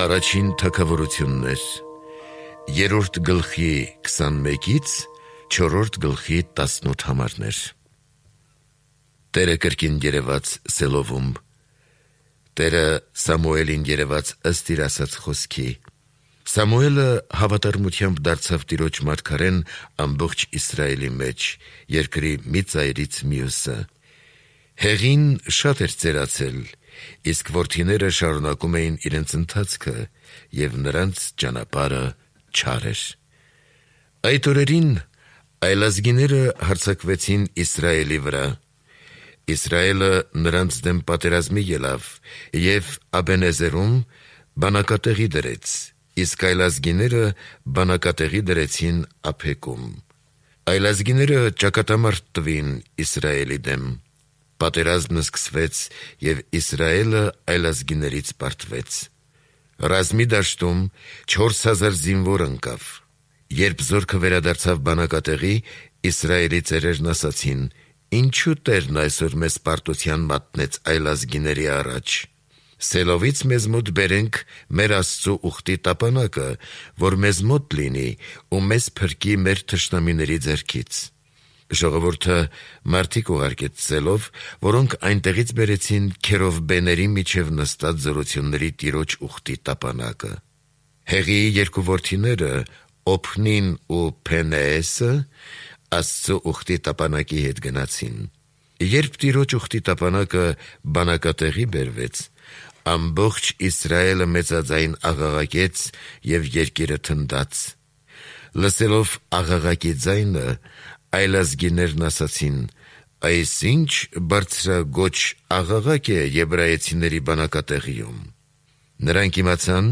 Առաջին թագավորություններ 3-րդ գլխի 21-ից 4-րդ գլխի 18 համարներ։ Տերը կրկին երևաց Սելովում։ Տերը Սամուելին երևաց ըստ իր ասած խոսքի։ Սամուելը հավատարմությամբ դարձավ Տիրոջ մարգարեն ամբողջ Իսրայելի մեջ, երկրի մի ծայրից մյուսը։ Հեղին շատ էր ծերացել, իսկ որդիները շարունակում էին իրենց ընթացքը, և նրանց ճանապարհը չար էր։ Այդ օրերին այլազգիները հարձակվեցին Իսրայելի վրա։ Իսրայելը նրանց դեմ պատերազմի ելավ և Աբենեզերում բանակատեղի դրեց, իսկ այլազգիները բանակատեղի դրեցին Ափեկում։ Այլազգիները ճակատամարտ տվին Իսրայելի դեմ։ Պատերազմն սկսվեց, և Իսրայելը այլազգիներից պարտվեց։ Ռազմի դաշտում 4000 զինվոր ընկավ։ Երբ զորքը վերադարձավ բանակատեղի, Իսրայելի ծերերն ասացին. «Ինչու Տերն այսօր մեզ պարտության մատնեց այլազգիների առաջ։ Սելովից մեզ մոտ բերենք մեր Աստծու ուխտի տապանակը, որ մեզ մոտ լինի ու մեզ փրկի մեր թշնամիների ձեռքից»։ Ժողովուրդը մարդիկ ուղարկեց Սելով, որոնք այնտեղից բերեցին քերովբեների միջև նստած զորությունների Տիրոջ ուխտի տապանակը։ Հեղիի երկու որդիները՝ Օփնին ու Փենեեսը, Աստծու ուխտի տապանակի հետ գնացին։ Երբ Տիրոջ ուխտի տապանակը բանակատեղի բերվեց, ամբողջ Իսրայելը մեծաձայն աղաղակեց, և երկիրը թնդաց։ Լսելով աղաղակի ձայնը, այլազգիներն ասացին. «Այս ինչ բարձրագոչ աղաղակ է եբրայեցիների բանակատեղիում»։ Նրանք իմացան,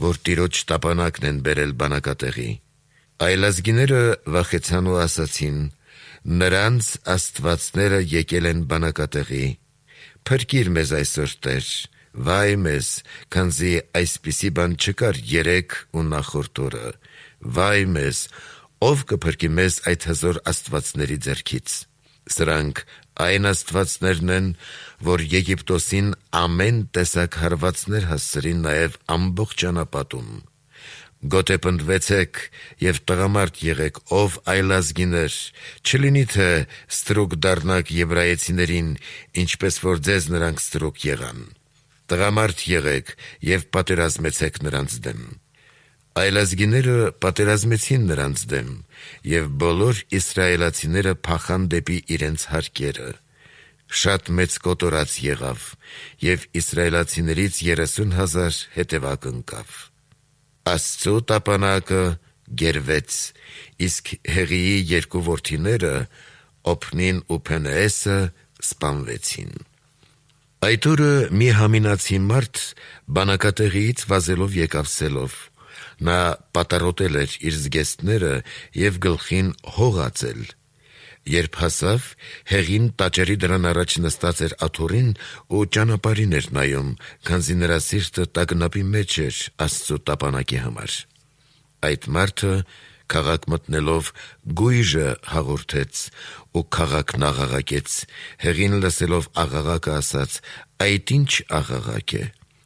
որ Տիրոջ տապանակն են բերել բանակատեղի։ Այլազգիները վախեցան ու ասացին. «Նրանց աստվածները եկել են բանակատեղի։ Փրկիր մեզ այսօր, Տեր, վայ մեզ, քանզի այսպիսի բան չկար երեկ ու նախորդ օրը։ Վայ մեզ, ով կփրկի մեզ այդ հզոր աստվածների ձեռքից։ Սրանք այն աստվածներն են, որ Եգիպտոսին ամեն տեսակ հարվածներ հասցրին նաև ամբողջ ճանապատում։ Գոտեպնդվեցեք և տղամարդ եղեք, ով այլազգիներ, չլինի թե ստրուկ դառնաք եբրայեցիներին, ինչպես որ ձեզ նրանք ստրուկ եղան։ Տղամարդ եղեք և պատերազմեցեք նրանց դեմ։ Այլազգիները պատերազմեցին նրանց դեմ, և բոլոր իսրայելացիները փախան դեպի իրենց հարկերը։ Շատ մեծ կոտորած եղավ, և իսրայելացիներից 30,000 հետևակ ընկավ։ Աստծու տապանակը գերվեց, իսկ Հեղիի երկու որդիները՝ Օփնին ու Փենեեսը, սպանվեցին։ Այդ օրը մի համինացի մարդ բանակատեղիից վազելով եկավ Սելով։ Նա պատառոտել էր իր զգեստները և գլխին հող ածել։ Երբ հասավ, Հեղին տաճարի դռան առաջ նստած էր աթոռին ու ճանապարհին էր նայում, քանզի նրա սիրտը տագնապի մեջ էր Աստծու տապանակի համար։ Այդ մարդը, քաղաք մտնելով, գույժը հաղորդեց, ու քաղաքն աղաղակեց։ Հեղին լսելով աղաղակը, ասաց. «Այդ ինչ աղաղակ է»։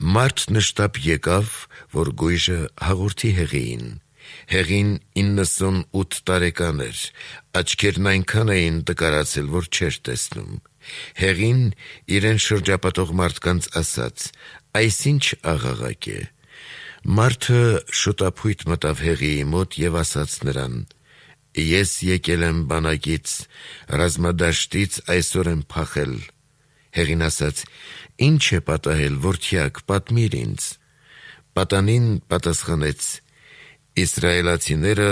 Մարդ նշտապ եկավ, որ գույժը հաղորդի Հեղիին։ Հեղին 98 տարեկան էր, աչքերն այնքան էին տկարացել, որ չէր տեսնում։ Հեղին իրեն շրջապատող մարդկանց ասաց. «Այս ինչ աղաղակ է»։ Մարդը շուտափույթ մտավ Հեղիի մոտ և ասաց նրան. «Ես եկել եմ բանակից, ռազմադաշտից այսօր եմ փախել»։ Հեղին ասաց. «Ինչ է պատահել, որդյակ, պատմիր ինձ»։ Պատանին պատասխանեց. «Իսրայելացիները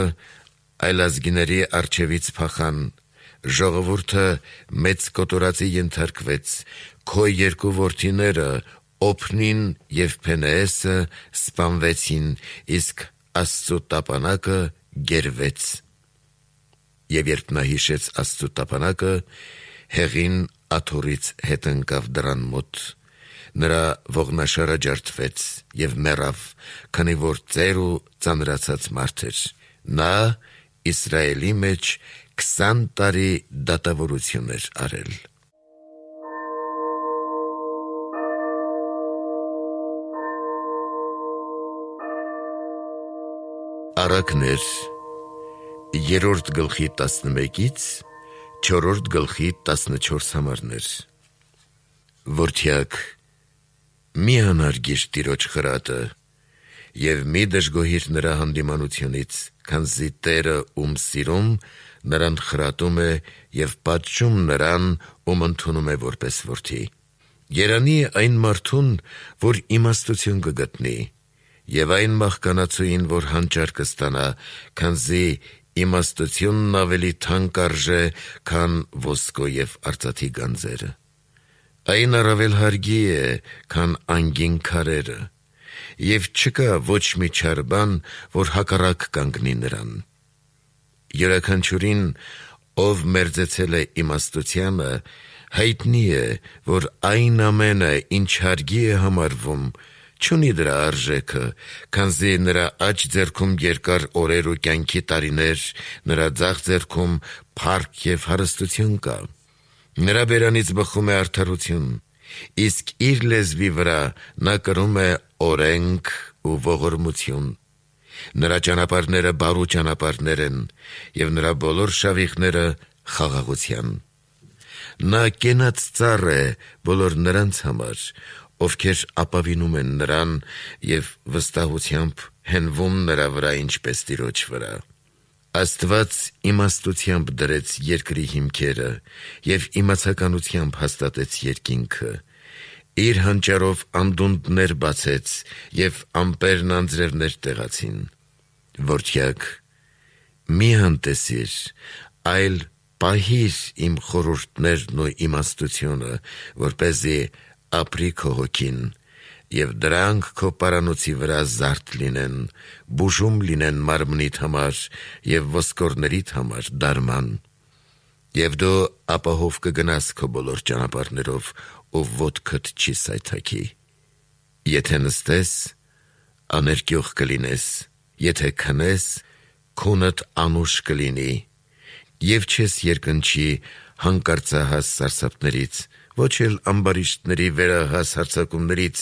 այլազգիների առջևից փախան, ժողովուրդը մեծ կոտորածի ենթարկվեց, քո երկու որդիները՝ Օփնին և Փենեեսը, սպանվեցին, իսկ Աստծու տապանակը գերվեց»։ Եվ երբ նա հիշեց Աստծու տապանակը, Հեղին աթոռից հետ ընկավ դռան մոտ։ Նրա ողնաշարը ջարդվեց և մեռավ, քանի որ ծեր ու ծանրացած մարդ էր։ Նա Իսրայելի մեջ 20 տարի դատավորություն էր արել։ Առակներ 3-րդ գլխի 11-ից 4-րդ գլխի 14 համարներ։ Որդյակ, մի անարգիր Տիրոջ խրատը և մի դժգոհիր նրա հանդիմանությունից, քանզի Տերը ում սիրում, նրան խրատում է և պատժում նրան, ում ընդունում է որպես որդի։ Երանի այն մարդուն, որ իմաստություն կգտնի, և այն մահկանացուին, որ հանճար կստանա, քանզի իմաստությունն ավելի թանկ արժե, քան ոսկու և արծաթի գանձերը։ Այն առավել հարգի է, քան անգին քարերը, և չկա ոչ մի չար բան, որ հակառակ կանգնի նրան։ Յուրաքանչյուրին, ով մերձեցել է իմաստությանը, հայտնի է, որ այն ամենը, ինչ հարգի է համարվում, չունի դրա արժեքը, քանզի նրա աջ ձեռքում երկար օրեր ու կյանքի տարիներ, նրա ձախ ձեռքում փառք և հարստություն կա։ Նրա բերանից բխում է արդարություն, իսկ իր լեզվի վրա նա կրում է օրենք ու ողորմություն։ Նրա ճանապարհները բարու ճանապարհներ են, և նրա բոլոր շավիղները խաղաղության։ Նա կենաց ծառ է բոլոր նրանց համար, ովքեր ապավինում են նրան և վստահությամբ հենվում նրա վրա ինչպես Տիրոջ վրա։ Աստված իմաստությամբ դրեց երկրի հիմքերը և իմացականությամբ հաստատեց երկինքը։ Իր հանճարով անդունդներ բացեց և ամպերն անձրևներ տեղացին։ Որդյակ, մի անտեսիր, այլ պահիր իմ խորհուրդներն ու իմաստությունը, որպեսզի ապրի քո հոգին, և դրանք քո պարանոցի վրա զարդ լինեն, բուժում լինեն մարմնիդ համար և ոսկորներիդ համար դարման։ Եվ դու ապահով կգնաս քո բոլոր ճանապարհներով, ու ոտքդ չի սայթաքի։ Եթե նստես, աներկյուղ կլինես, եթե քնես, քունդ անուշ կլինի, և չես երկնչի հանկարծահաս սարսափներից, ոչ էլ ամբարիշտների վերահաս հարձակումներից,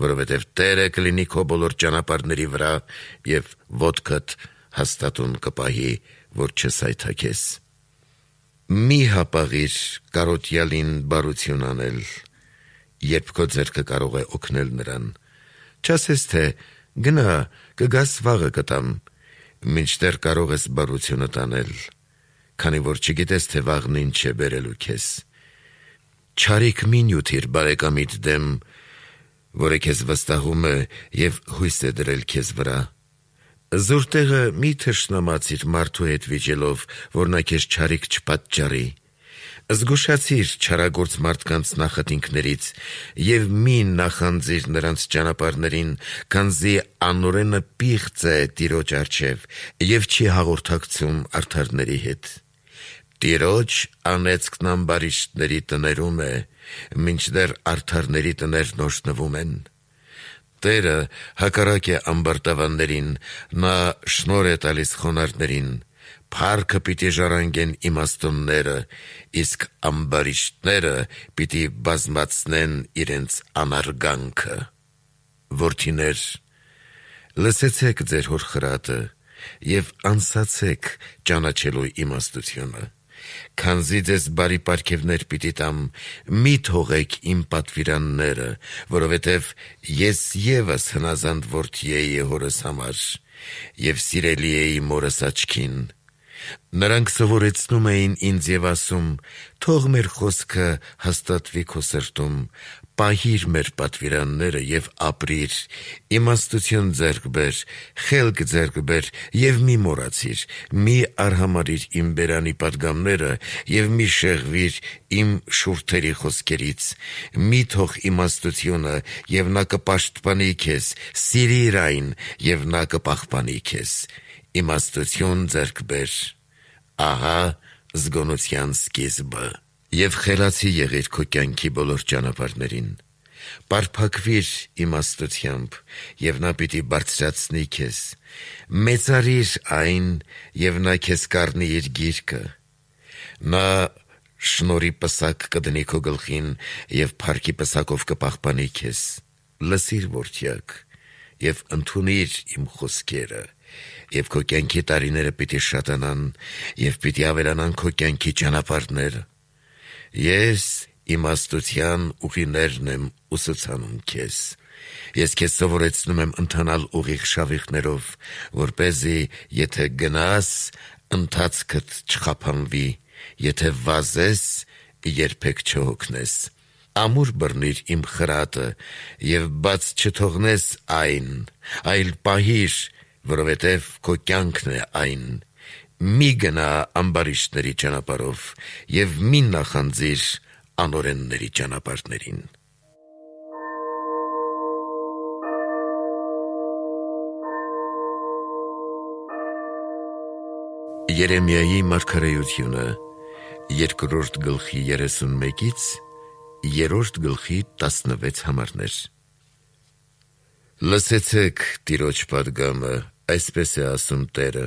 որովհետև Տերը կլինի քո բոլոր ճանապարհների վրա և ոտքդ հաստատուն կպահի, որ չսայթաքես։ Մի հապաղիր կարոտյալին բարություն անել, երբ քո ձեռքը կարող է օգնել նրան։ Չասես, թե գնա, կգաս վաղը կտամ, մինչդեռ կարող ես բարությունդ անել, քանի որ չգիտես, թե վաղն ինչ է բերելու քեզ։ Չարիք մի նյութիր բարեկամիդ դեմ, որը քեզ վստահում է և հույս է դրել քեզ վրա։ Զուր տեղը մի թշնամացիր մարդու հետ վիճելով, որ նա քեզ չարիք չպատճառի։ Զգուշացիր չարագործ մարդկանց նախատինքներից և մի նախանձիր նրանց ճանապարհներին, քանզի անօրենը պիղծ է Տիրոջ առջև և չի հաղորդակցում արդարների հետ։ Տիրոջ անեծքն ամբարիշտների տներում է, մինչդեռ արդարների տներն օրհնվում են։ Տերը հակառակ է ամբարտավաններին, նա շնորհ է տալիս խոնարհներին, փառքը պիտի ժառանգեն իմաստունները, իսկ ամբարիշտները պիտի բազմացնեն իրենց անարգանքը։ Որդիներ, լսեցեք ձեր հոր խրատը և անսացեք ճանաչելու իմաստությունը։ Քանզի ձեզ բարի պարգևներ պիտի տամ, մի թողեք իմ պատվիրանները, որովհետև ես ևս հնազանդ որդի էի հորս համար և սիրելի էի մորս աչքին։ Նրանք սովորեցնում էին ինձ և ասում. «Թող մեր խոսքը հաստատվի քո սրտում, պահիր մեր պատվիրանները և ապրիր, իմաստություն ձեռք բեր, խելք ձեռք բեր և մի մոռացիր, մի արհամարհիր իմ բերանի պատգամները և մի շեղվիր իմ շուրթերի խոսքերից, մի թող իմաստությունը, և նա կպաշտպանի քեզ, սիրիր այն, և նա կպահպանի քեզ, իմաստություն ձեռք բեր, ահա զգոնության սկիզբը, և խելացի եղիր քո կյանքի բոլոր ճանապարհներին։ Պարփակվիր իմաստությամբ, և նա պիտի բարձրացնի քեզ, մեծարիր այն, և նա քեզ կառնի իր գիրկը։ Նա շնորհի պսակ կդնի քո գլխին, և փառքի պսակով կպահպանի քեզ։ Լսիր, որդյակ, և ընդունիր իմ խոսքերը, եւ քո կյանքի տարիները պիտի շատանան եւ պիտի ավելանան քո կյանքի ճանապարհները։ Ես իմաստության ուղիներն եմ ուսուցանում քեզ։ Ես քեզ սովորեցնում եմ ընթանալ ուղիղ շավիղներով, որպեսզի եթե գնաս, ընթացքդ չխափանվի, եթե վազես, երբեք չհոգնես։ Ամուր բռնիր իմ խրատը եւ բաց չթողնես այն, այլ պահիր, որովհետեւ քո կյանքն է այն։ Մի գնա ամբարիշտների ճանապարհով եւ մի նախանձիր անօրենների ճանապարհներին։ Երեմիայի մարգարեությունը 2-րդ գլխի 31-ից 3-րդ գլխի 16 համարներ։ Լսեցեք Տիրոջ պատգամը, այսպես է ասում Տերը.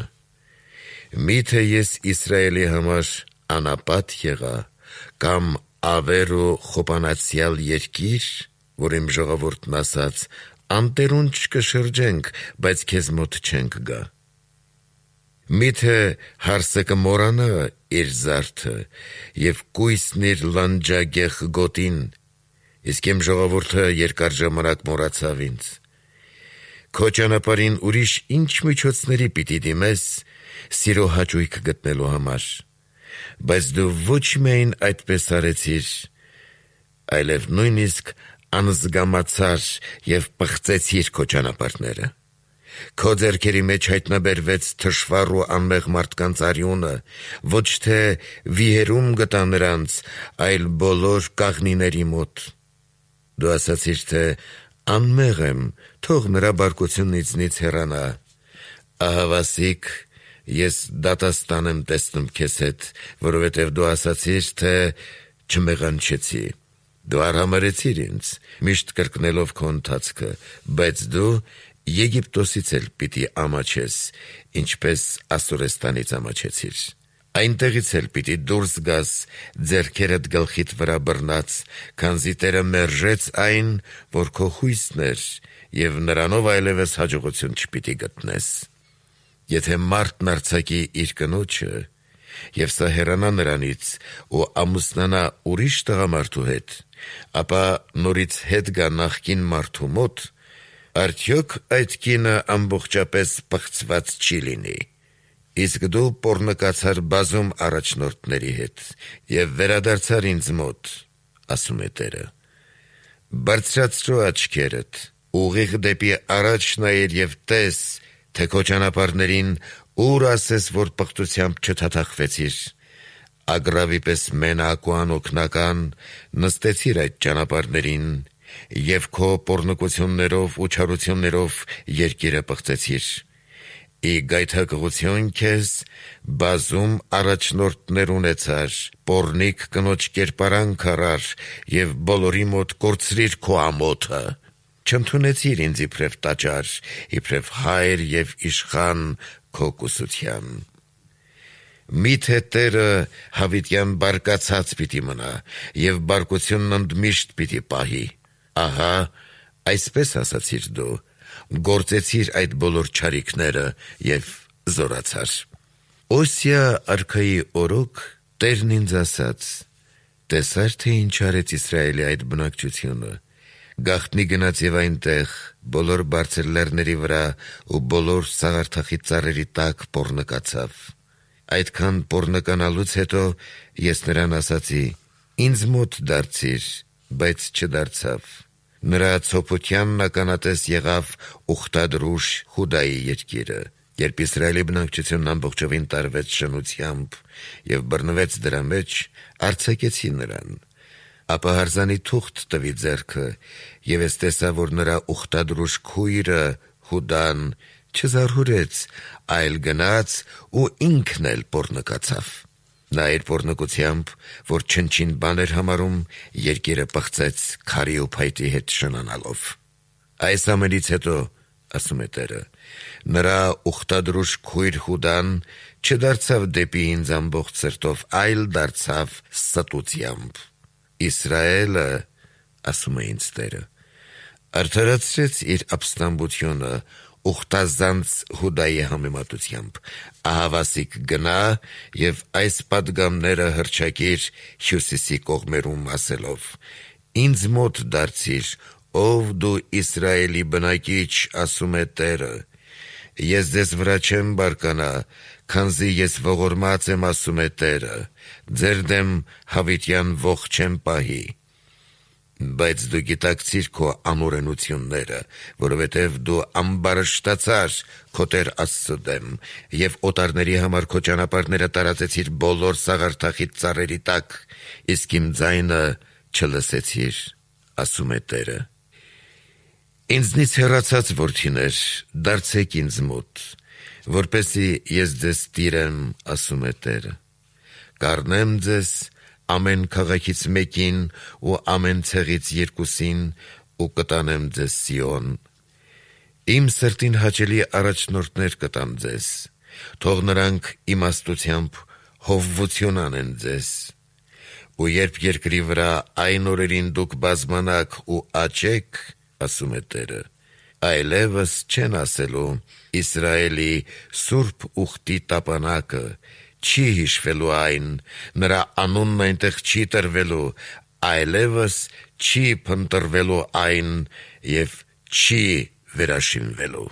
Միթե ես Իսրայելի համար անապատ եղա, կամ ավեր ու խոպանացյալ երկիր, որ իմ ժողովուրդն ասաց, անտերուն չկշրջենք, բայց քեզ մոտ չենք գա։ Միթե հարսը կմորանա իր զարդը եւ կույսն իր լանջագեղ գոտին, իսկ իմ ժողովուրդը երկար ժամանակ մոռացավ ինձ։ Քո ճանապարհին ուրիշ ինչ միջոցների պիտի դիմես սիրո հաճույք գտնելու համար, բայց դու ոչ միայն այդպես արեցիր, այլև նույնիսկ անզգամացար եւ պղծեցիր քո ճանապարհները։ Քո ձեռքերի մեջ հայտնաբերվեց թշվառ ու անմեղ մարդկանց արյունը, ոչ թե վիհերում գտա նրանց, այլ բոլոր կաղնիների մոտ։ Դու ասացիր, թե անմեղ եմ, թող նրա բարկությունն ինձնից հեռանա։ Ահավասիկ, ես դատաստան եմ տեսնում քեզ հետ, որովհետև դու ասացիր, թե չմեղանչեցի։ Դու արհամարեցիր ինձ, միշտ կրկնելով քո ընթացքը, բայց դու Եգիպտոսից էլ պիտի ամաչես, ինչպես Ասորեստանից ամաչեցիր։ Այնտեղից էլ պիտի դուրս գաս ձեռքերդ գլխիդ վրա բռնած, քանզի Տերը մերժեց այն, որ քո հույսն էր, եւ նրանով այլևս հաջողություն չպիտի գտնես։ Եթե մարդն արձակի իր կնոջը, եւ սա հեռանա նրանից ու ամուսնանա ուրիշ տղամարդու հետ, ապա նորից հետ գա նախկին մարդու մոտ, արդյոք այդ կինը ամբողջապես պղծված չի լինի։ Իսկ դու պոռնկացար բազում առաջնորդների հետ եւ վերադարձար ինձ մոտ, ասում է Տերը։ Բարձրացրու աչքերդ, ուղիղ դեպի առաջ նայիր եւ տես, թե քո ճանապարհներին ուր ասես, որ պղծությամբ չթաթախվեցիր։ Ագրավի պես մենակ ու անօգնական նստեցիր այդ ճանապարհներին եւ քո պոռնկություններով ու չարություններով երկիրը պղծեցիր։ Ի գայթակղություն քեզ բազում առաջնորդներ ունեցար, պոռնիկ կնոջ կերպարանք առար եւ բոլորի մոտ կորցրիր քո ամոթը։ Չընդունեցիր ինձ իբրև տաճար, իբրև հայր եւ իշխան քո կուսության։ Միթե Տերը հավիտյան բարկացած պիտի մնա եւ բարկությունն ընդմիշտ պիտի պահի։ Ահա, այսպես ասացիր դու, գործեցիր այդ բոլոր չարիքները եւ զորացար։ Օսիա արքայի օրոք Տերն ինձ ասաց. տեսար, թե ինչ արեց Իսրայելի այդ բնակչությունը, գաղտնի գնաց եւ այնտեղ բոլոր բարձր լեռների վրա ու բոլոր սաղարթախի ծառերի տակ պոռնկացավ։ Այդքան պոռնկանալուց հետո ես նրան ասացի. ինձ մոտ դարձիր, բայց չդարձավ։ Նրա ցոփությանն ականատես եղավ ուխտադրուժ Հուդայի երկիրը, երբ Իսրայելի բնակչությունն ամբողջովին տարվեց շնությամբ եւ բռնվեց դրա մեջ, արձակեցի նրան։ Ապա հարզանի թուղթ տվի ձեռքը, եւ ես տեսա, որ նրա ուխտադրուժ քույրը Հուդան չզարհուրեց, այլ գնաց ու ինքն էլ պոռնկացավ։ Նա իր պոռնկությամբ, որ չնչին բան էր համարում, երկիրը պղծեց քարի ու փայտի հետ շնանալով։ Այս ամենից հետո, ասում է Տերը, նրա ուխտադրուժ քույր Հուդան չդարձավ դեպի ինձ ամբողջ սրտով, այլ դարձավ ստությամբ։ Իսրայելը, ասում է ինձ Տերը, արդարացրեց իր ապստամբությունը ուխտազանց Հուդայի համեմատությամբ, ահավասիկ գնա և այս պատգամները հռչակիր հյուսիսի կողմերում ասելով. «Ինձ մոտ դարձիր, ով դու Իսրայելի բնակիչ, ասում է Տերը, ես ձեզ վրա չեմ բարկանա, քանզի ես ողորմած եմ, ասում է Տերը, ձեր դեմ հավիտյան ոխ չեմ պահի, բայց դու գիտակցիր քո անօրենությունները, որովհետև դու ամբարշտացար քո Տեր Աստծու դեմ և օտարների համար քո ճանապարհները տարածեցիր բոլոր սաղարթախիտ ծառերի տակ, իսկ իմ ձայնը չլսեցիր, ասում է Տերը։ Ինձնից հեռացած որդիներ, դարձեք ինձ մոտ, որպեսզի ես ձեզ տիրեմ, ասում է Տերը, կառնեմ ձեզ ամեն քաղաքից մեկին ու ամեն ցեղից երկուսին ու կտանեմ ձեզ Սիոն, իմ սրտին հաճելի առաջնորդներ կտամ ձեզ, թող նրանք իմաստությամբ հովվություն անեն ձեզ, ու երբ երկրի վրա այն օրերին դուք բազմանաք ու աճեք, ասում է Տերը, այլևս չեն ասելու Իսրայելի սուրբ ուխտի տապանակը, չի հիշվելու այն, նրա անունն այնտեղ չի տրվելու, այլևս չի փնտրվելու այն և չի վերաշինվելու։